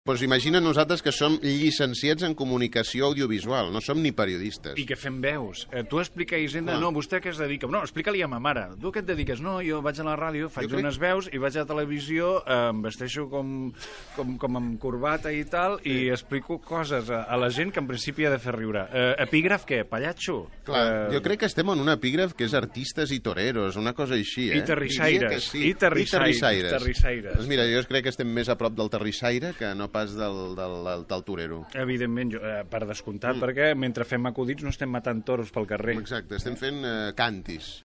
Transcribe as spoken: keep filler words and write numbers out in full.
Doncs imagina nosaltres que som llicenciats en comunicació audiovisual, no som ni periodistes. I que fem veus. Eh, tu explica a Hisenda, no, vostè què es dedica? No, explica-li a ma mare. Tu què et dediques? No, jo vaig a la ràdio, faig crec... unes veus i vaig a la televisió, eh, em vesteixo com, com, com amb corbata i tal, sí. i explico coses a, a la gent que en principi ha de fer riure. Eh, epígraf què? Pallatxo? Clar, eh... jo crec que estem en un epígraf que és artistes i toreros, una cosa així, eh? I terrissaires. Sí. I terrissaires. I terrissaires. Doncs mira, jo crec que estem més a prop del terrissaire que no pas del, del, del, del torero. Evidentment, jo, eh, per descomptat, mm. perquè mentre fem acudits no estem matant toros pel carrer. Exacte, estem fent eh, cantis.